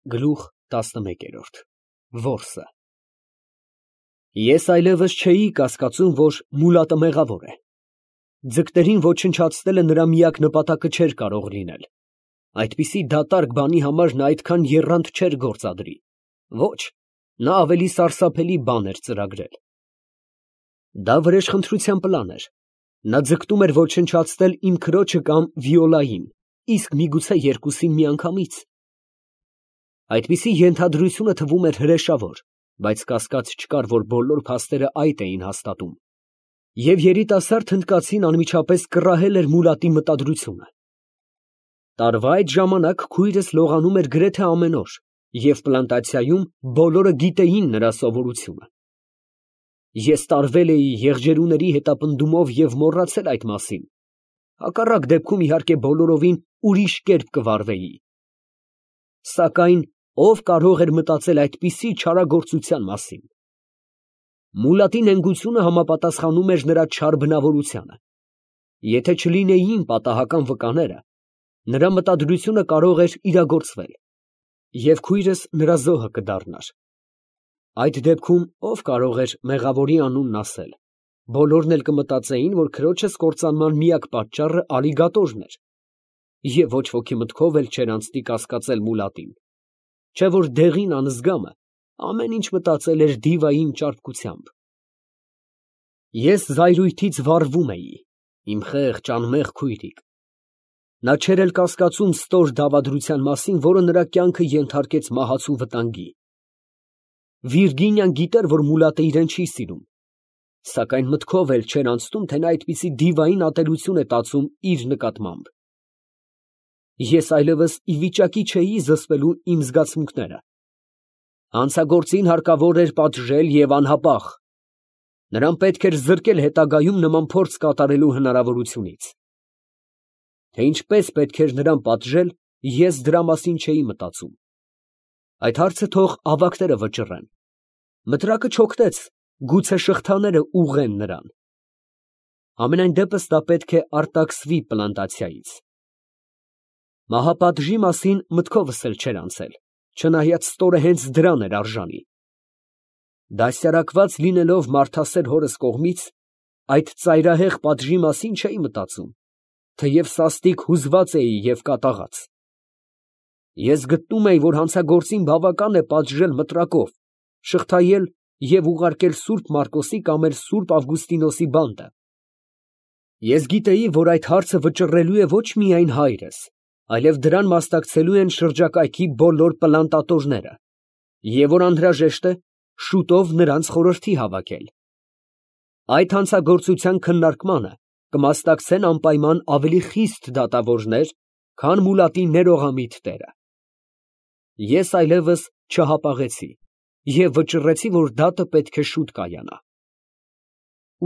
Գլուխ 11 Որսը Ես այլևս չէի կասկածում, որ Մուլատը մեղավոր է։ Ձկներին ոչնչացնելը նրա միակ նպատակը չէր կարող լինել։ Այդպիսի դատարկ բանի համար նա այդքան եռանդ չէր գործադրի։ Ոչ, նա ավելի սարսափելի բան էր ծրագրել։ Դա վրեժխնդրության պլան էր։ Նա ձգտում էր ոչնչացնել իմ քրոջը կամ Վիոլային, իսկ միգուցե երկուսին միանգամից։ Այդպիսի ենթադրությունը թվում էր հրեշավոր, բայց կասկած չկար, որ բոլոր փաստերը այդ էին հաստատում։ Եվ երիտասարդ հնդկացին անմիջապես կռահել էր Մուլատի մտադրությունը։ Տարվա այդ ժամանակ քույրս լողանում էր գրեթե ամեն օր, և պլանտացիայում բոլորը գիտեին նրա սովորությունը։ Ես տարվել էի եղջերուների հետապնդումով և մոռացել այդ մասին։ Հակառակ դեպքում, իհարկե, բոլորովին ուրիշ կերպ կվարվեի։ Սակայն ով կարող էր մտածել այդպիսի չարագործության մասին։ Մուլատի նենգությունը համապատասխանում էր նրա չար բնավորությանը։ Եթե չլինեին պատահական վկաները, նրա մտադրությունը կարող էր իրագործվել, և քույրս նրա զոհը կդառնար։ Այդ դեպքում ով կարող էր մեղավորի անունն ասել։ Բոլորն էլ կմտածեին, որ քրոջս կործանման միակ պատճառը ալիգատորն էր, և ոչ ոքի մտքով էլ չէր անցնի կասկածել Մուլատին, չէ որ դեղին անզգամը ամեն ինչ մտածել էր դիվային ճարպկությամբ։ Ես զայրույթից վառվում էի, իմ խեղճ անմեղ քույրիկ։ Նա չէր էլ կասկածում ստոր դավադրության մասին, որը նրա կյանքը ենթարկեց մահացու վտանգի։ Վիրգինիան գիտեր, որ Մուլատը իրեն չի սիրում, սակայն մտքով էլ չէր անցնում, թե նա այդպիսի դիվային ատելություն է տածում իր նկատմամբ։ Ես այլևս ի վիճակի չէի զսպելու իմ զգացմունքները։ Հանցագործին հարկավոր էր պատժել և անհապաղ։ Նրան պետք էր զրկել հետագայում նման փորձ կատարելու հնարավորությունից։ Թե ինչպես պետք էր նրան պատժել, ես դրա մասին չէի մտածում։ Այդ հարցը թող ավագները վճռեն։ Մտրակը չօգնեց, գուցե շղթաները ուղղեն նրան։ Համենայն դեպս նա պետք է արտաքսվի պլանտացիայից։ Մահապատժի մասին մտքովս էլ չէր անցել, չնայած ստորը հենց դրան էր արժանի։ Դաստիարակված լինելով մարդասեր հորս կողմից, այդ ծայրահեղ պատժի մասին չէի մտածում, թեև սաստիկ հուզված էի և կատաղած։ Ես գտնում էի, որ հանցագործին բավական է պատժել մտրակով, շղթայել և ուղարկել Սուրբ Մարկոսի կամ էլ Սուրբ Ավգուստինոսի բանտը։ Ես գիտեի, որ այդ հարցը վճռելու է ոչ միայն հայրս, այլև դրան մասնակցելու են շրջակայքի բոլոր պլանտատորները, և որ անհրաժեշտ է շուտով նրանց խորհրդի հավաքել։ Այդ հանցագործության քննարկմանը կմասնակցեն անպայման ավելի խիստ դատավորներ, քան Մուլատի ներողամիտ տերը։ Ես այլևս չհապաղեցի և վճռեցի, որ դատը պետք է շուտ կայանա։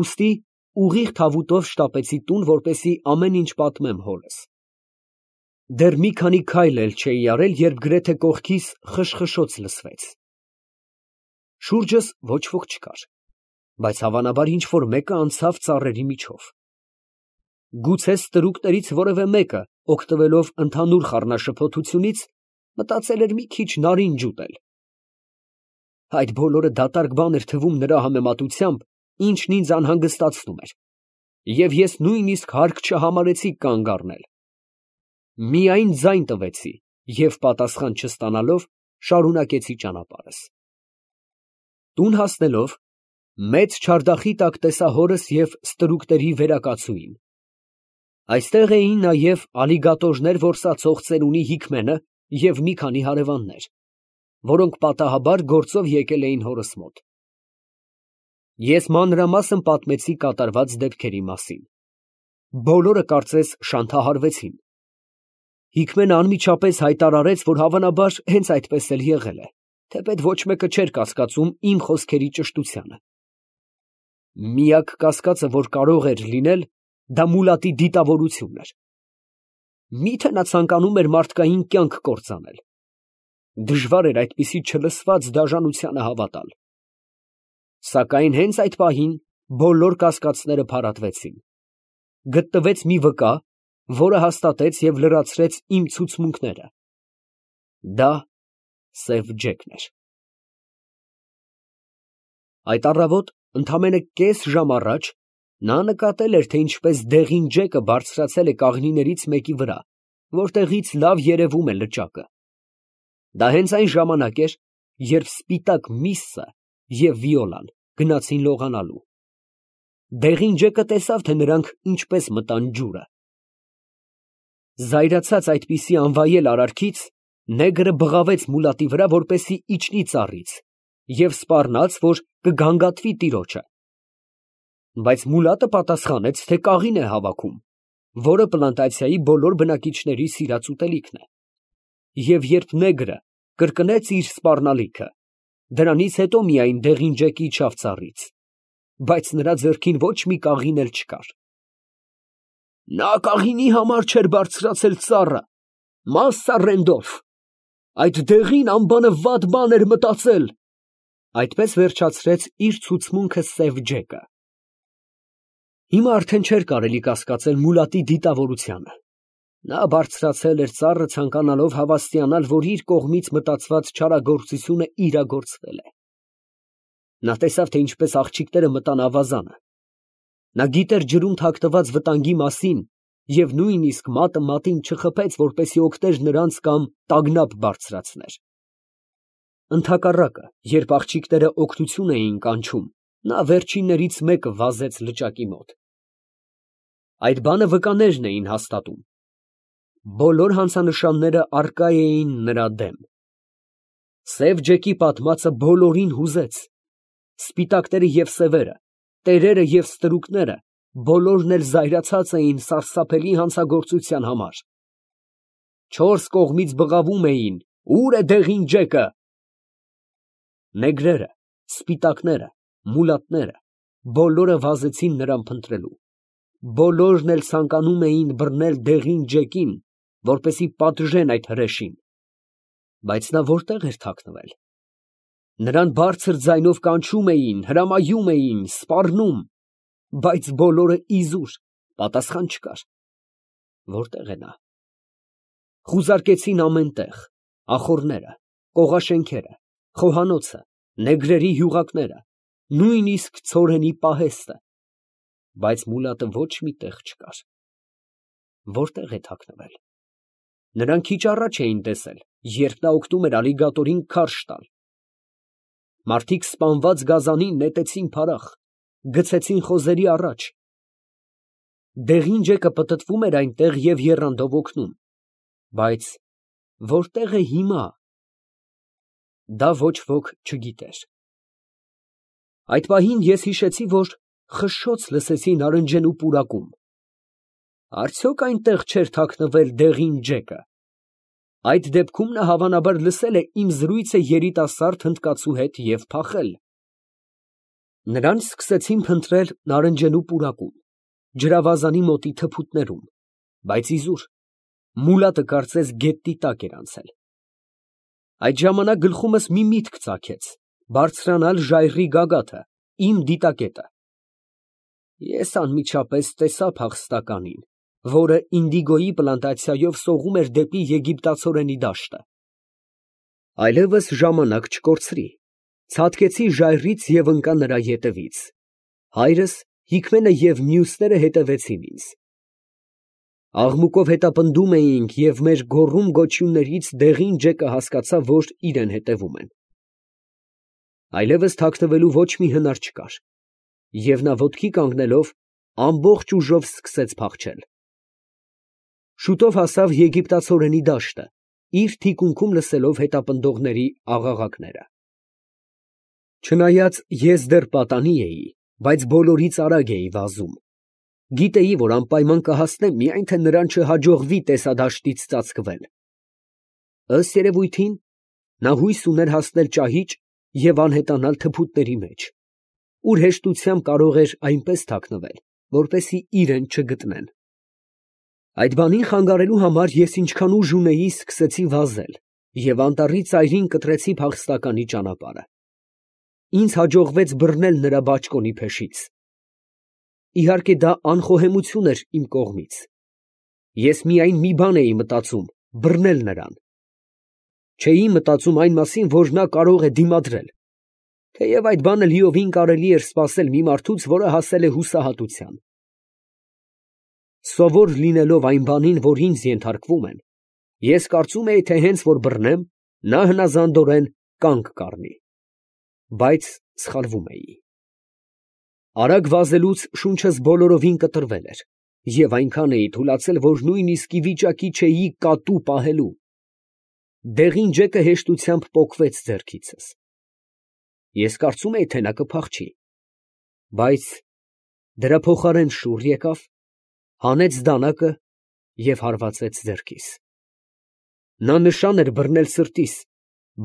Ուստի ուղիղ թավուտով շտապեցի տուն, որպեսզի ամեն ինչ պատմեմ հորս։ Դեռ մի քանի քայլ էլ չէի արել, երբ գրեթե կողքիս խշխշոց լսվեց։ Շուրջս ոչ ոք չկար, բայց հավանաբար ինչ֊որ մեկը անցավ ծառերի միջով։ Գուցե ստրուկներից որևէ մեկը, օգտվելով ընդհանուր խառնաշփոթությունից, մտածել էր մի քիչ նարինջ ուտել։ Այդ բոլորը դատարկ բան էր թվում նրա համեմատությամբ, ինչն ինձ անհանգստացնում էր, և ես նույնիսկ հարկ չհամարեցի կանգ առնել։ Միայն ձայն տվեցի և պատասխան չստանալով, շարունակեցի ճանապարհս։ Տուն հասնելով, մեծ չարդախի տակ տեսա հորս և ստրուկների վերակացուին։ Այստեղ էին նաև ալիգատորներ որսացող ծերունի Հիկմենը և մի քանի հարևաններ, որոնք պատահաբար գործով եկել էին հորս մոտ։ Ես մանրամասն պատմեցի կատարված դեպքերի մասին։ Բոլորը կարծես շանթահարվեցին։ Հիկմենը անմիջապես հայտարարեց, որ հավանաբար հենց այդպես էլ եղել է, թեպետ ոչ մեկը չէր կասկածում իմ խոսքերի ճշտությանը։ Միակ կասկածը, որ կարող էր լինել, դա Մուլատի դիտավորությունն էր։ Մի՞թե նա ցանկանում էր մարդկային կյանք կործանել։ Դժվար էր այդպիսի չլսված դաժանությանը հավատալ։ Սակայն հենց այդ պահին բոլոր կասկածները փարատվեցին։ Գտնվեց մի վկա, որը հաստատեց և լրացրեց իմ ցուցմունքները։ Դա սև ջեկն էր։ Այդ առավոտ, ընդամենը կես ժամ առաջ, նա նկատել էր, թե ինչպես դեղին ջեկը բարձրացել է կաղնիներից մեկի վրա, որտեղից լավ երևում է լճակը։ Դա հենց այն ժամանակ էր, երբ սպիտակ միսսը և Վիոլան գնացին լողանալու։ Դեղին ջեկը տեսավ, թե նրանք ինչպես մտան ջուրը։ Զայրացած այդպիսի անվայել արարքից, նեգրը բղավեց մուլատի վրա, որպեսզի իջնի ծառից, և սպառնաց, որ կգանգատվի տիրոջը։ Բայց մուլատը պատասխանեց, թե կաղին է հավաքում, որը պլանտացիայի բոլոր բնակիչների սիրած ուտելիքն է։ Եվ երբ նեգրը կրկնեց իր սպառնալիքը, դրանից հետո միայն դեղին ջեկը իջավ ծառից, բայց նրա ձեռքին ոչ մի կաղին էլ չկար։ Նա կաղինի համար չէր բարձրացել ծառը, Մասսա Ռենդոլֆ, այդ դեղին անբանը վատ բան էր մտածել։ Այդպես վերջացրեց իր ցուցմունքը սև ջեկը։ Հիմա արդեն չէր կարելի կասկածել մուլատի դիտավորությանը։ Նա բարձրացել էր ծառը, ցանկանալով հավաստիանալ, որ իր կողմից մտածված չարագործությունը իրագործվել է։ Նա տեսավ, թե ինչպես աղջիկները մտան ավազանը։ Նա գիտեր ջրում թաքնված վտանգի մասին և նույնիսկ մատը մատին չխփեց, որպեսզի օգներ նրանց կամ տագնապ բարձրացներ։ Ընդհակառակը, երբ աղջիկները օգնություն էին կանչում, նա վերջիններից մեկը վազեց լճակի մոտ։ Այդ բանը վկաներն էին հաստատում։ Բոլոր հանցանշանները առկա էին նրա դեմ։ Սև ջեկի պատմածը բոլորին հուզեց։ Սպիտակները և սևերը, տերերը և ստրուկները, բոլորն էլ զայրացած էին սարսափելի հանցագործության համար։ Չորս կողմից բղավում էին. «Ո՞ւր է դեղին ջեկը»։ Նեգրերը, սպիտակները, մուլատները, բոլորը վազեցին նրան փնտրելու։ Բոլորն էլ ցանկանում էին բռնել դեղին ջեկին, որպեսզի պատժեն այդ հրեշին։ Բայց նա որտեղ էր թաքնվել։ Նրան բարձր ձայնով կանչում էին, հրամայում էին, սպառնում, բայց բոլորը իզուր, պատասխան չկար։ Որտեղ է նա։ Խուզարկեցին ամեն տեղ, ախոռները, կողաշենքերը, խոհանոցը, նեգրերի հյուղակները, նույնիսկ ցորենի պահեստը, բայց մուլատը ոչ մի տեղ չկար։ Որտեղ է թաքնվել։ Նրան քիչ առաջ էին տեսել, երբ նա օգնում էր ալիգատորին քարշ տալ։ Մարդիկ սպանված գազանին նետեցին փարախ, գցեցին խոզերի առաջ։ Դեղին ջեկը պտտվում էր այնտեղ և եռանդով օգնում, բայց որտեղ է հիմա, դա ոչ ոք չգիտեր։ Այդ պահին ես հիշեցի, որ խշշոց լսեցի նարնջենու պուրակում։ Արդյոք այնտեղ չէր թաքնվել դեղին ջեկը։ Այդ դեպքում նա հավանաբար լսել է իմ զրույցը երիտասարդ հնդկացու հետ և փախել։ Նրան սկսեցին փնտրել նարնջենու պուրակում, ջրավազանի մոտի թփուտներում, բայց իզուր, մուլատը կարծես գետնի տակ էր անցել։ Այդ ժամանակ գլխումս մի միտք ծագեց, բարձրանալ ժայռի գագաթը, իմ դիտակետը։ Ես անմիջապես տեսա փախստականին, որը ինդիգոյի պլանտացիայով սողում էր դեպի եգիպտացորենի դաշտը։ Այլևս ժամանակ չկորցրի, ցատկեցի ժայռից և ընկա նրա ետևից։ Հայրս, Հիկմենը և մյուսները հետևեցին ինձ։ Աղմուկով հետապնդում էինք և մեր գոռում֊գոչյուններից դեղին ջեկը հասկացավ, որ իրեն հետևում են։ Այլևս թաքնվելու ոչ մի հնար չկար, և նա ոտքի կանգնելով ամբողջ ուժով սկսեց փախչել։ Շուտով հասավ եգիպտացորենի դաշտը, իր թիկունքում լսելով հետապնդողների աղաղակները։ Չնայած ես դեռ պատանի էի, բայց բոլորից արագ էի վազում։ Գիտեի, որ անպայման կհասնեմ, միայն թե նրան չհաջողվի տեսադաշտից ծածկվել։ Ըստ երևույթին, նա հույս ուներ հասնել ճահիճ և անհետանալ թփուտների մեջ, ուր հեշտությամբ կարող էր այնպես թաքնվել, որպեսզի իրեն չգտնեն։ Այդ բանին խանգարելու համար ես ինչքան ուժ ունեի, սկսեցի վազել և անտառի ծայրին կտրեցի փախստականի ճանապարհը։ Ինձ հաջողվեց բռնել նրա բաճկոնի փեշից։ Իհարկե, դա անխոհեմություն էր իմ կողմից։ Ես միայն մի բան էի մտածում՝ բռնել նրան։ չէի մտածում այն մասին, որ նա կարող է դիմադրել, թեև այդ բանը լիովին կարելի էր սպասել մի մարդուց, որը հասել է հուսահատության։ Սովոր լինելով այն բանին, որ ինձ ենթարկվում են, ես կարծում էի, թե հենց որ բռնեմ, նա հնազանդորեն կանգ կառնի, բայց սխալվում էի։ Արագ վազելուց շունչս բոլորովին կտրվել էր, և այնքան էի թուլացել, որ նույնիսկ ի վիճակի չէի կատու պահելու։ Դեղին ջեկը հեշտությամբ պոկվեց ձեռքիցս։ Ես կարծում էի, թե նա կփախչի, բայց դրա փոխարեն շուռ եկավ, հանեց դանակը և հարվածեց ձեռքիս։ Նա նշան էր բռնել սրտիս,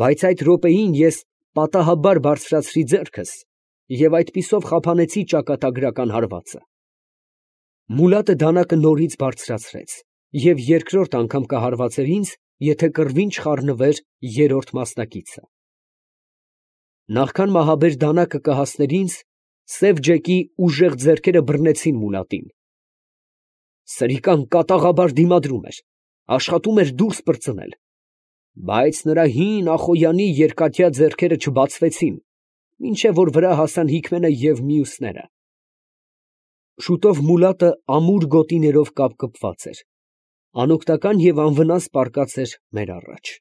բայց այդ րոպեին ես պատահաբար բարձրացրի ձեռքս և այդպիսով խափանեցի ճակատագրական հարվածը։ Մուլատը դանակը նորից բարձրացրեց և երկրորդ անգամ կհարվածեր ինձ, եթե կռվին չխառնվեր երրորդ մասնակիցը։ Նախքան մահաբեր դանակը կհասներ ինձ, սև ջեկի ուժեղ ձեռքերը բռնեցին մուլատին։ Սրիկան կատաղաբար դիմադրում էր, աշխատում էր դուրս պրծնել, բայց նրա հին ախոյանի երկաթյա ձեռքերը չբացվեցին, մինչև որ վրա հասան Հիկմենը և մյուսները։ Շուտով մուլատը ամուր գոտիներով կապկպված էր, անօգնական և անվնաս պառկած էր մեր առաջ։